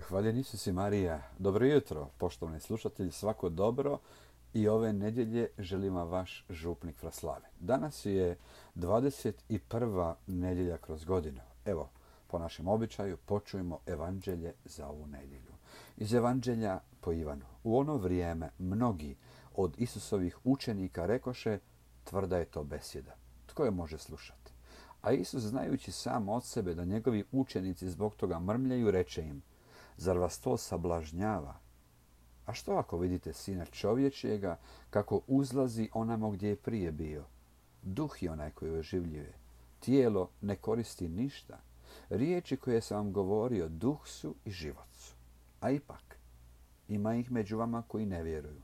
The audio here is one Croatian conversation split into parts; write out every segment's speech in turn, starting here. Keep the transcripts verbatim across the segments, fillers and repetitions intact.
Hvaljen Isus i Marija. Dobro jutro, poštovani slušatelji, svako dobro i ove nedjelje želim vam vaš župnik Fraslavi. Danas je dvadeset prva nedjelja kroz godinu. Evo, po našem običaju počujemo evanđelje za ovu nedjelju. Iz evanđelja po Ivanu. U ono vrijeme mnogi od Isusovih učenika rekoše: tvrda je to besjeda. Tko je može slušati? A Isus, znajući sam od sebe da njegovi učenici zbog toga mrmljaju, reče im: zar vas to sablažnjava? A što ako vidite Sina čovječjega kako uzlazi onamo gdje je prije bio? Duh je onaj koji oživljuje. Tijelo ne koristi ništa. Riječi koje sam vam govorio duh su i život su. A ipak, ima ih među vama koji ne vjeruju.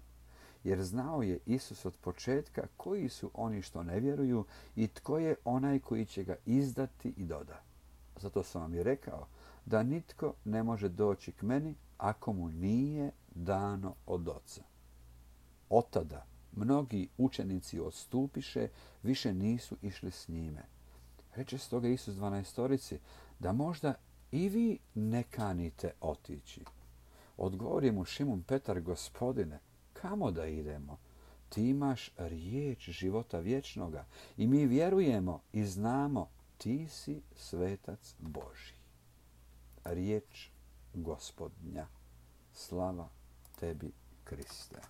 Jer znao je Isus od početka koji su oni što ne vjeruju i tko je onaj koji će ga izdati i doda. Zato sam vam i rekao da nitko ne može doći k meni ako mu nije dano od Oca. Od tada mnogi učenici odstupiše, više nisu išli s njime. Reče stoga Isus dvanaestorici da možda i vi ne kanite otići. Odgovori mu Šimun Petar: Gospodine, kamo da idemo? Ti imaš riječ života vječnoga i mi vjerujemo i znamo ti si svetac Božji. Riječ Gospodnja. Slava tebi, Kriste.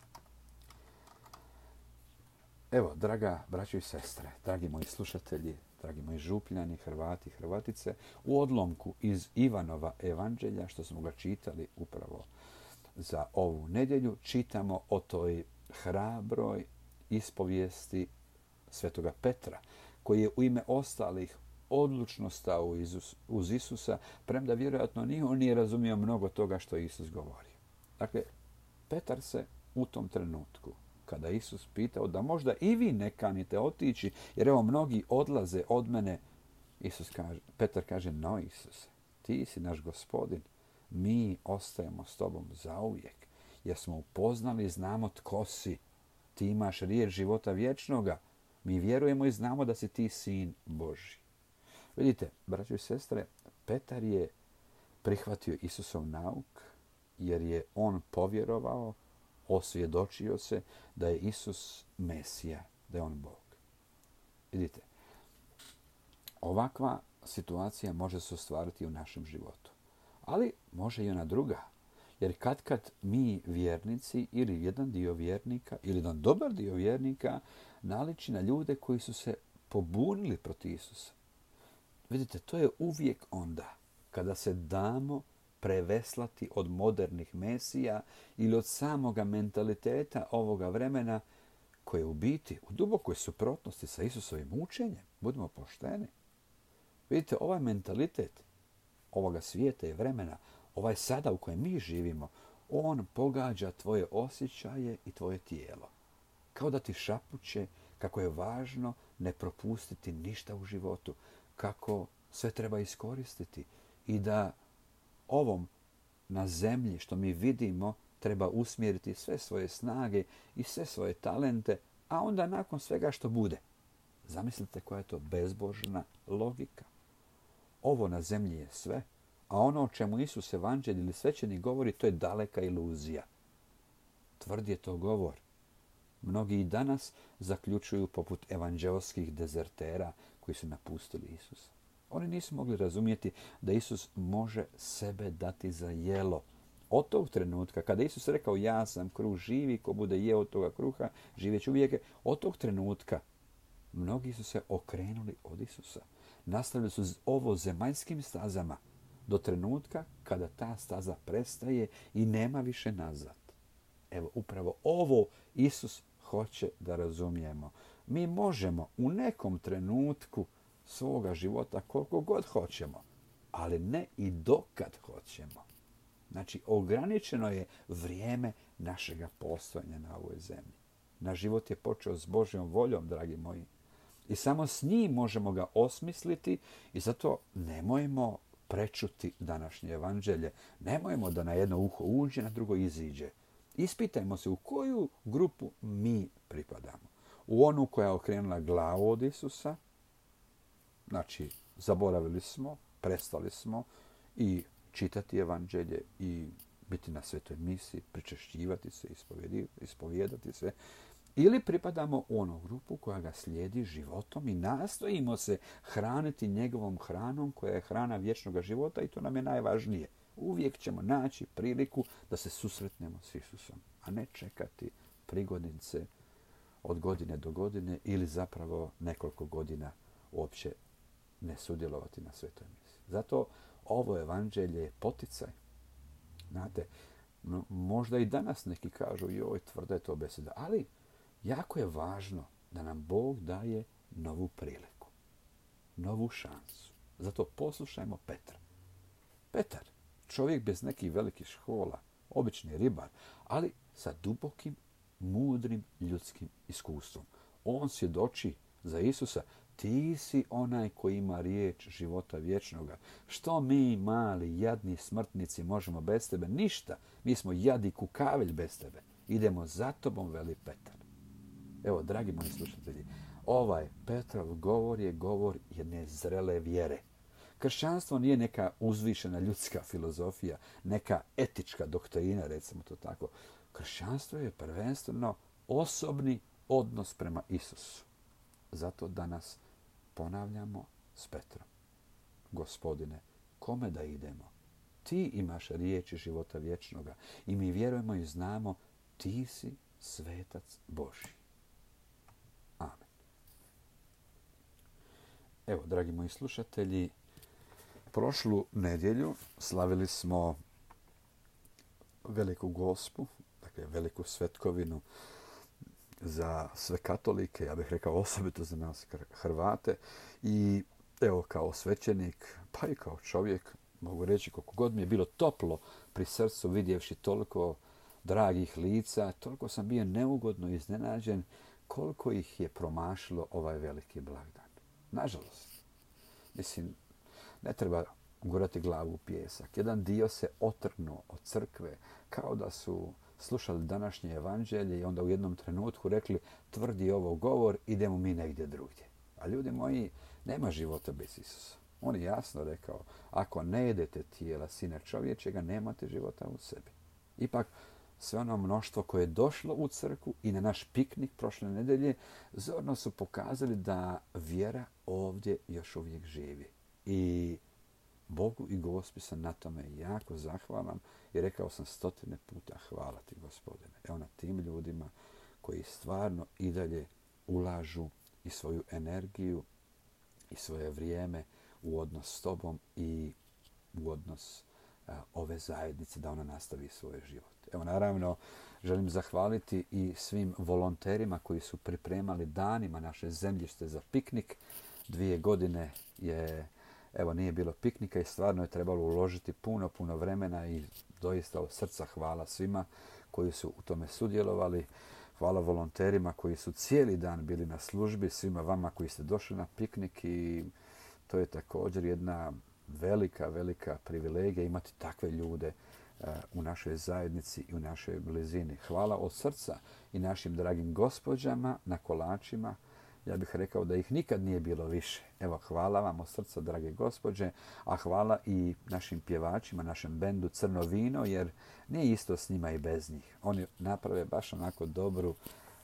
Evo, draga braćo i sestre, dragi moji slušatelji, dragi moji župljani, Hrvati i Hrvatice, u odlomku iz Ivanova evanđelja, što smo ga čitali upravo za ovu nedjelju, čitamo o toj hrabroj ispovijesti svetoga Petra, koji je u ime ostalih odlučno stao uz Isusa, premda vjerojatno ni on nije razumio mnogo toga što je Isus govorio. Dakle, Petar se u tom trenutku, kada Isus pitao da možda i vi ne kanite otići, jer evo mnogi odlaze od mene, Isus kaže, Petar kaže: no Isuse, ti si naš Gospodin, mi ostajemo s tobom zauvijek, jer smo upoznali i znamo tko si. Ti imaš riječ života vječnoga, mi vjerujemo i znamo da si ti sin Božji. Vidite, braćo i sestre, Petar je prihvatio Isusov nauk jer je on povjerovao, osvjedočio se da je Isus Mesija, da je on Bog. Vidite, ovakva situacija može se ostvariti u našem životu, ali može i ona druga. Jer kad kad mi vjernici ili jedan dio vjernika ili jedan dobar dio vjernika naliči na ljude koji su se pobunili protiv Isusa. Vidite, to je uvijek onda kada se damo preveslati od modernih mesija ili od samoga mentaliteta ovoga vremena koje je u biti u dubokoj suprotnosti sa Isusovim učenjem. Budimo pošteni. Vidite, ovaj mentalitet ovoga svijeta i vremena, ovaj sada u kojem mi živimo, on pogađa tvoje osjećaje i tvoje tijelo. Kao da ti šapuće kako je važno ne propustiti ništa u životu, kako sve treba iskoristiti i da ovom na zemlji što mi vidimo treba usmjeriti sve svoje snage i sve svoje talente, a onda nakon svega što bude. Zamislite koja je to bezbožna logika. Ovo na zemlji je sve, a ono o čemu Isus evanđelj ili svećenik govori, to je daleka iluzija. Tvrd je to govor. Mnogi i danas zaključuju poput evanđeoskih dezertera koji su napustili Isusa. Oni nisu mogli razumjeti da Isus može sebe dati za jelo. Od tog trenutka, kada Isus rekao: ja sam kruh živi, ko bude jeo od toga kruha, živjet će uvijek. Od tog trenutka mnogi su se okrenuli od Isusa. Nastavili su ovo zemaljskim stazama do trenutka kada ta staza prestaje i nema više nazad. Evo, upravo ovo Isus hoće da razumijemo. Mi možemo u nekom trenutku svoga života koliko god hoćemo, ali ne i dokad hoćemo. Znači, ograničeno je vrijeme našega postojanja na ovoj zemlji. Naš život je počeo s Božjom voljom, dragi moji. I samo s njim možemo ga osmisliti i zato nemojmo prečuti današnje evanđelje. Nemojmo da na jedno uho uđe, na drugo iziđe. Ispitajmo se u koju grupu mi pripadamo. U onu koja je okrenula glavu od Isusa, znači zaboravili smo, prestali smo i čitati evanđelje i biti na svetoj misi, pričešćivati se, ispovijedati se, ili pripadamo u onu grupu koja ga slijedi životom i nastojimo se hraniti njegovom hranom koja je hrana vječnog života i to nam je najvažnije. Uvijek ćemo naći priliku da se susretnemo s Isusom, a ne čekati prigodnice od godine do godine ili zapravo nekoliko godina uopće ne sudjelovati na svetoj misi. Zato ovo evanđelje je poticaj. Znate, no, možda i danas neki kažu joj, tvrda je to beseda, ali jako je važno da nam Bog daje novu priliku, novu šansu. Zato poslušajmo Petra. Petar, čovjek bez nekih velikih škola, obični ribar, ali sa dubokim, mudrim ljudskim iskustvom. On svjedoči za Isusa, ti si onaj koji ima riječ života vječnoga. Što mi, mali, jadni smrtnici, možemo bez tebe? Ništa. Mi smo jadi kukavelj bez tebe. Idemo za tobom, veli Petar. Evo, dragi moji slušatelji, ovaj Petrov govor je govor jedne zrele vjere. Kršćanstvo nije neka uzvišena ljudska filozofija, neka etička doktrina, recimo to tako. Kršćanstvo je prvenstveno osobni odnos prema Isusu. Zato danas ponavljamo s Petrom. Gospodine, kome da idemo? Ti imaš riječi života vječnoga i mi vjerujemo i znamo ti si svetac Božji. Amen. Evo, dragi moji slušatelji, prošlu nedjelju slavili smo Veliku Gospu, dakle veliku svetkovinu za sve katolike, ja bih rekao osobito za nas Hrvate. I evo, kao svećenik, pa i kao čovjek, mogu reći koliko god mi je bilo toplo pri srcu vidjevši toliko dragih lica, toliko sam bio neugodno iznenađen koliko ih je promašilo ovaj veliki blagdan. Nažalost, mislim, ne treba gurati glavu u pijesak. Jedan dio se otrgnuo od crkve kao da su slušali današnje evanđelje i onda u jednom trenutku rekli tvrdi ovo govor, idemo mi negdje drugdje. A ljudi moji, nema života bez Isusa. On je jasno rekao, ako ne jedete tijela Sina čovječega, nemate života u sebi. Ipak, sve ono mnoštvo koje je došlo u crkvu i na naš piknik prošle nedelje, zorno su pokazali da vjera ovdje još uvijek živi. I Bogu i Gospi sam na tome jako zahvalan i rekao sam stotine puta hvala ti, Gospodine. Evo na tim ljudima koji stvarno i dalje ulažu i svoju energiju i svoje vrijeme u odnos s tobom i u odnos a, ove zajednice da ona nastavi svoj život. Evo, naravno, želim zahvaliti i svim volonterima koji su pripremali danima naše zemljište za piknik. Dvije godine je, evo, nije bilo piknika i stvarno je trebalo uložiti puno, puno vremena i doista od srca hvala svima koji su u tome sudjelovali. Hvala volonterima koji su cijeli dan bili na službi, svima vama koji ste došli na piknik i to je također jedna velika, velika privilegija imati takve ljude u našoj zajednici i u našoj blizini. Hvala od srca i našim dragim gospođama na kolačima. Ja bih rekao da ih nikad nije bilo više. Evo, hvala vam od srca, drage gospođe, a hvala i našim pjevačima, našem bendu Crno vino, jer nije isto s njima i bez njih. Oni naprave baš onako dobru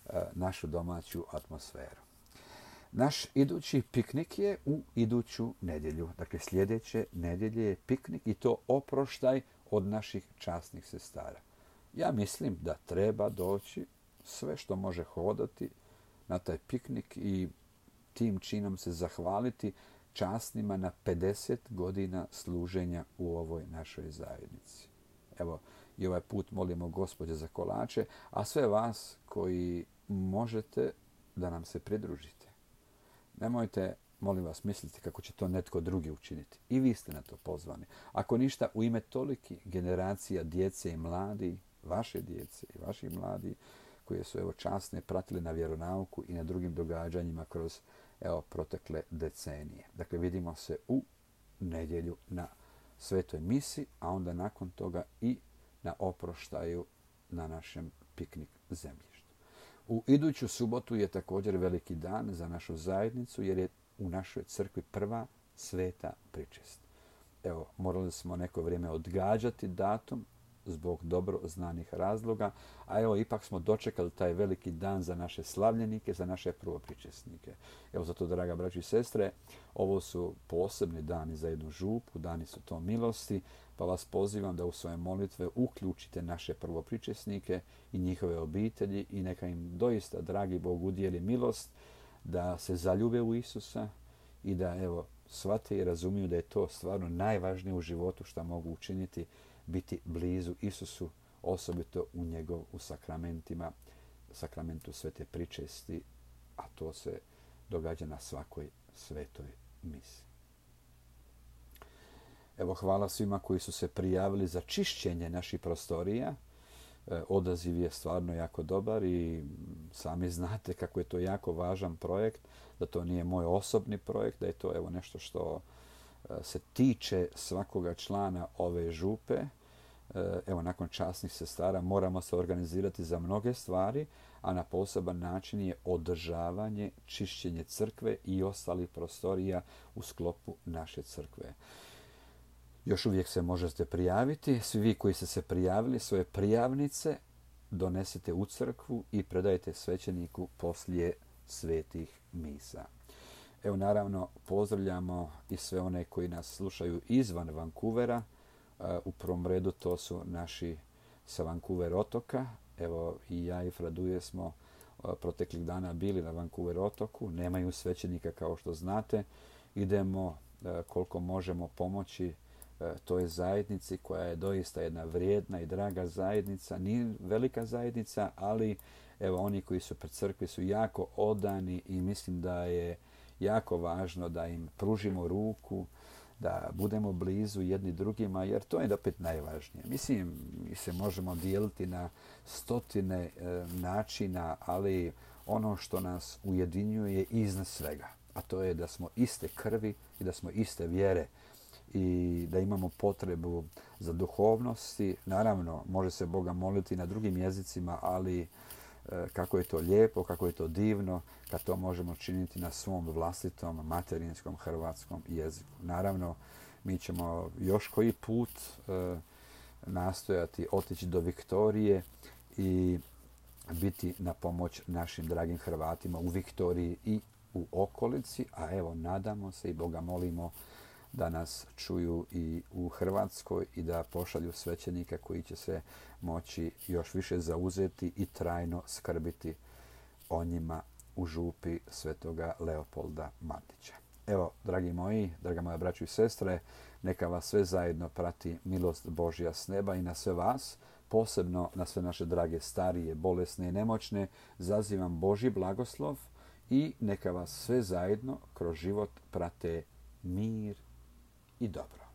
e, našu domaću atmosferu. Naš idući piknik je u iduću nedjelju. Dakle, sljedeće nedjelje je piknik i to oproštaj od naših časnih sestara. Ja mislim da treba doći sve što može hodati na taj piknik i tim činom se zahvaliti časnima na pedeset godina služenja u ovoj našoj zajednici. Evo, i ovaj put molimo Gospođe za kolače, a sve vas koji možete da nam se pridružite. Nemojte, molim vas, misliti kako će to netko drugi učiniti. I vi ste na to pozvani. Ako ništa, u ime toliki generacija djece i mladi, vaše djece i vaših mladi, koje su evo časne pratili na vjeronauku i na drugim događanjima kroz evo protekle decenije. Dakle, vidimo se u nedjelju na svetoj misi, a onda nakon toga i na oproštaju na našem piknik zemljištu. U iduću subotu je također veliki dan za našu zajednicu jer je u našoj crkvi prva sveta pričest. evo, morali smo neko vrijeme odgađati datum zbog dobro znanih razloga, a evo ipak smo dočekali taj veliki dan za naše slavljenike, za naše prvopričesnike. Evo zato, draga braćo i sestre, ovo su posebni dani za jednu župu, dani su to milosti, pa vas pozivam da u svoje molitve uključite naše prvopričesnike i njihove obitelji i neka im doista, dragi Bog, udijeli milost da se zaljube u Isusa i da, evo, shvate i razumiju da je to stvarno najvažnije u životu što mogu učiniti, biti blizu Isusu, osobito u njegov, u sakramentima, sakramentu svete pričesti, a to se događa na svakoj svetoj misi. Evo, hvala svima koji su se prijavili za čišćenje naših prostorija. E, odaziv je stvarno jako dobar i sami znate kako je to jako važan projekt, da to nije moj osobni projekt, da je to, evo, nešto što se tiče svakoga člana ove župe. Evo, nakon časnih sestara moramo se organizirati za mnoge stvari, a na poseban način je održavanje, čišćenje crkve i ostalih prostorija u sklopu naše crkve. Još uvijek se možete prijaviti. Svi vi koji ste se prijavili, svoje prijavnice donesite u crkvu i predajte svećeniku poslije svetih misa. Evo, naravno, pozdravljamo i sve one koji nas slušaju izvan Vancouvera. U prvom redu to su naši sa Vancouver otoka. Evo, i ja i Fraduje smo proteklih dana bili na Vancouver otoku. Nemaju svećenika, kao što znate. Idemo koliko možemo pomoći toj zajednici koja je doista jedna vrijedna i draga zajednica. Nije velika zajednica, ali evo, oni koji su pred crkvi su jako odani i mislim da je jako važno da im pružimo ruku, da budemo blizu jedni drugima, jer to je opet najvažnije. Mislim, mi se možemo dijeliti na stotine e, načina, ali ono što nas ujedinjuje iznad svega, a to je da smo iste krvi i da smo iste vjere i da imamo potrebu za duhovnosti. Naravno, može se Boga moliti na drugim jezicima, ali kako je to lijepo, kako je to divno kad to možemo činiti na svom vlastitom materinskom hrvatskom jeziku. Naravno, mi ćemo još koji put e, nastojati otići do Viktorije i biti na pomoć našim dragim Hrvatima u Viktoriji i u okolici, a evo, nadamo se i Boga molimo da nas čuju i u Hrvatskoj i da pošalju svećenika koji će se moći još više zauzeti i trajno skrbiti o njima u župi svetoga Leopolda Mandića. Evo, dragi moji, draga moja braćo i sestre, neka vas sve zajedno prati milost Božja s neba i na sve vas, posebno na sve naše drage starije, bolesne i nemoćne, zazivam Božji blagoslov i neka vas sve zajedno kroz život prate mir i dobro.